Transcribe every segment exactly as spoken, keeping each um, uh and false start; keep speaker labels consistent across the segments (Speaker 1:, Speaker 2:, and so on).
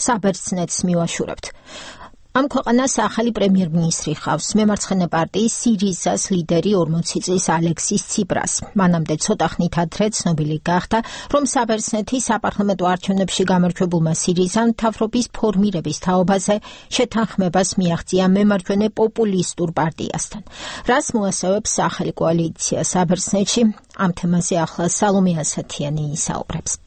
Speaker 1: საბერძნეთს მივაშურებთ. Am ქვეყანას ახალი პრემიერ-მინისტრი ხავს, მემარცხენე პარტიის სირიზას ლიდერი ორმოცი წლის ალექსის ციპრას. მანამდე ცოტა ხნით ადრე ცნობილი გახდა, რომ საბერძნეთის საპარლამენტო არჩევნებში გამარჯვებულმა სირიზამ მთავრობის ფორმირების თაობაზე შეთანხმებას მიაღწია მემარჯვენე პოპულისტურ პარტიასთან. რას მოასწავებს ახალი კოალიცია საბერძნეთში? Ამ თემაზე ახლა სალომე ასათიანი ისაუბრებს.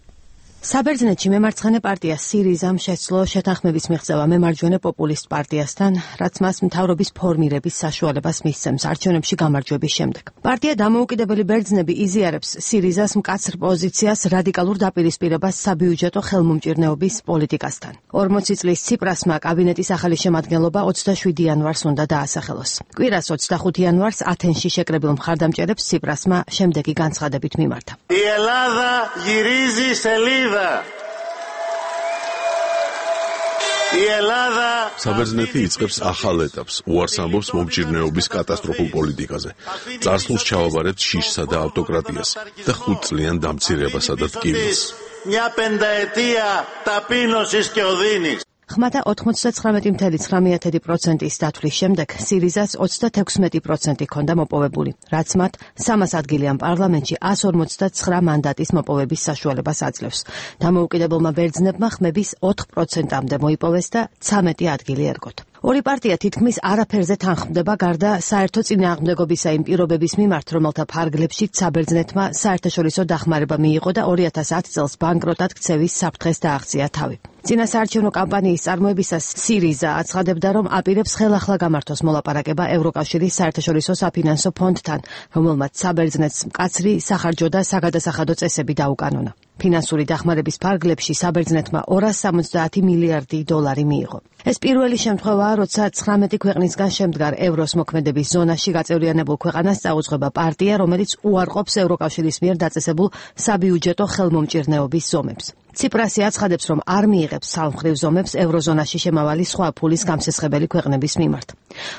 Speaker 2: საბერძნეთში მემარცხენე პარტია სირიზამ შეძლო შეთანხმების მიღწევა მემარჯვენე პოპულისტ პარტიასთან, რაც მას მთავრობის ფორმირების საშუალებას მისცემს არჩევნებში გამარჯვების შემდეგ. პარტია დამოუკიდებელი ბერძნები იზიარებს სირიზას მკაცრ პოზიციას რადიკალურ დაპირისპირებას საბიუჯეტო ხელმომჭირნეობის პოლიტიკასთან. ორმოცი წლის ციპრასმა კაბინეტის ახალი შემადგენლობა ოცდაშვიდი იანვარს უნდა დაასახელოს. კვირას ოცდახუთი იანვარს ათენში შეკრებილ მხარდამჭერებს ციპრასმა შემდეგი განცხადებით მიმართა.
Speaker 3: Η Ελλάδα γυρίζει σελίδα.
Speaker 4: საბერძნეთი იწყებს ახალ ეტაპს, უარს ამბობს მომჭირნეობის კატასტროფულ პოლიტიკაზე. წარსულს ჩავაბარებთ შიშსა და ავტოკრატიას და ხუთწლიან დამცირებასა და ტკივილს.
Speaker 3: Μια πενταετία ταπείνωσης και οδύνης.
Speaker 2: ხმათა ოთხმოცდათხრამეტი წუთი ცხრამეტი პროცენტის დათვლის შემდეგ სირიზას ოცდათექვსმეტი პროცენტი ჰქონდა მოპოვებული, რაც მათ სამას ადგილიან პარლამენტში ას ორმოცდათცხრა მანდატის მოპოვების საშუალებას აძლევს. დამოუკიდებელმა ბერძნებმა ხმების ოთხ პროცენტამდე მოიპოვეს და ცამეტი ადგილი ერგოთ. ორი პარტია თითქმის არაფერზე თანხმდება გარდა საერთო წინააღმდეგობისა იმ პირობების მიმართ, რომელთა ფარგლებშიც საბერძნეთმა საერთაშორისო დახმარება მიიღო და ორი ათას ათი წელს ბანკროტად ქცევის საფრთხეს დააღწია თავი. წინა საარჩევნო კამპანიის წარმოებისას სირიზა აცხადებდა, რომ აპირებს ხელახლა გამართოს მოლაპარაკება ევროკავშირის საერთაშორისო საფინანსო ფონდთან, რომელმაც საბერძნეთს მკაცრი სახარჯო და საგადასახადო წესები დაუკანონა. ფინანსური დახმარების ფარგლებში საბერძნეთმა ორას სამოცდაათი მილიარდი დოლარი მიიღო. ეს პირველი შემთხვევაა, როცა ცხრამეტი ქვეყნისგან შემდგარ ევროს მოქმედების ზონაში გაწევრიანებულ ქვეყანას წაუძღვება პარტია, რომელიც უარყოფს ევროკავშირის მიერ დაწესებულ საბიუჯეტო ხელმომჭირნეობის ზომებს. ციპრასი აცხადებს, რომ არ მიიღებს სამხრივ ზომებს ევროზონაში შემავალი სხვა ფულის გამსესხებელი ქვეყნების მიმართ.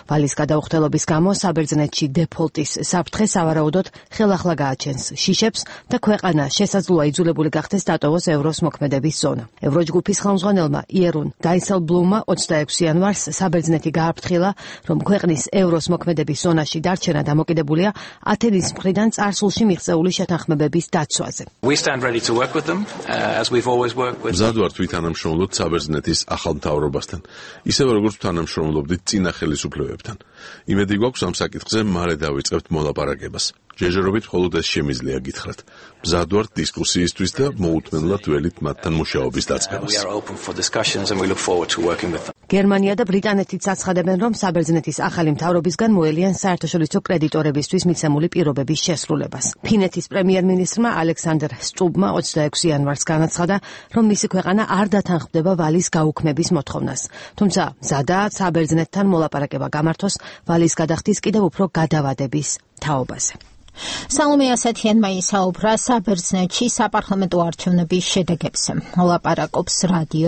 Speaker 2: ვალის გადაუხდელობის გამო საბერძნეთში დეფოლტის საფრთხე სავარაუდოდ ხელახლა გააჩენს შიშებს და ქვეყანა შესაძლოა იძულებული გახდეს დატოვოს ევროს მოქმედების ზონა. ევროჯგუფის ხელმძღვანელმა იერუნ დაისელბლუმმა ოცდაექვსი იანვარს საბერძნეთი გააფრთხილა, რომ ქვეყნის ევროს მოქმედების ზონაში დარჩენა დამოკიდებულია ათენის მხრიდან წარსულში მიღწეული შეთანხმებების დაცვაზე.
Speaker 4: მზად ვართ ვითანამშრომლოთ საბერძნეთის ახალ მთავრობასთან, ისევე როგორც თანამშრომლობდით წინა ხელისუფლებებთან. იმედი გვაქვს ამ საკითხზე მალე დავიწყებთ მოლაპარაკებას. ჯერჯერობით მხოლოდ ეს შემიძლია გითხრათ. მზად ვართ დისკუსიისთვის და მოუთმენლად ველით მათთან მუშაობის დაწყებას.
Speaker 2: გერმანია და ბრიტანეთიც აცხადებენ, რომ საბერძნეთის ახალი მთავრობისგან მოელიან საერთაშორისო კრედიტორებისთვის მიცემული პირობების შესრულებას. ფინეთის პრემიერ-მინისტრმა ალექსანდრ სტუბმა ოცდაექვსი იანვარს განაცხადა, რომ მისი ქვეყანა არ დათანხმდება ვალის გაუქმების მოთხოვნას. თუმცა მზადაა საბერძნეთთან მოლაპარაკება გამართოს ვალის გადახდის კიდევ უფრო გადავადების თაობაზე.
Speaker 1: სალომე ასათიანმა ისაუბრა საბერძნეთში საპარლამენტო არჩევნების შედეგებზე. მოლაპარაკობს რადიო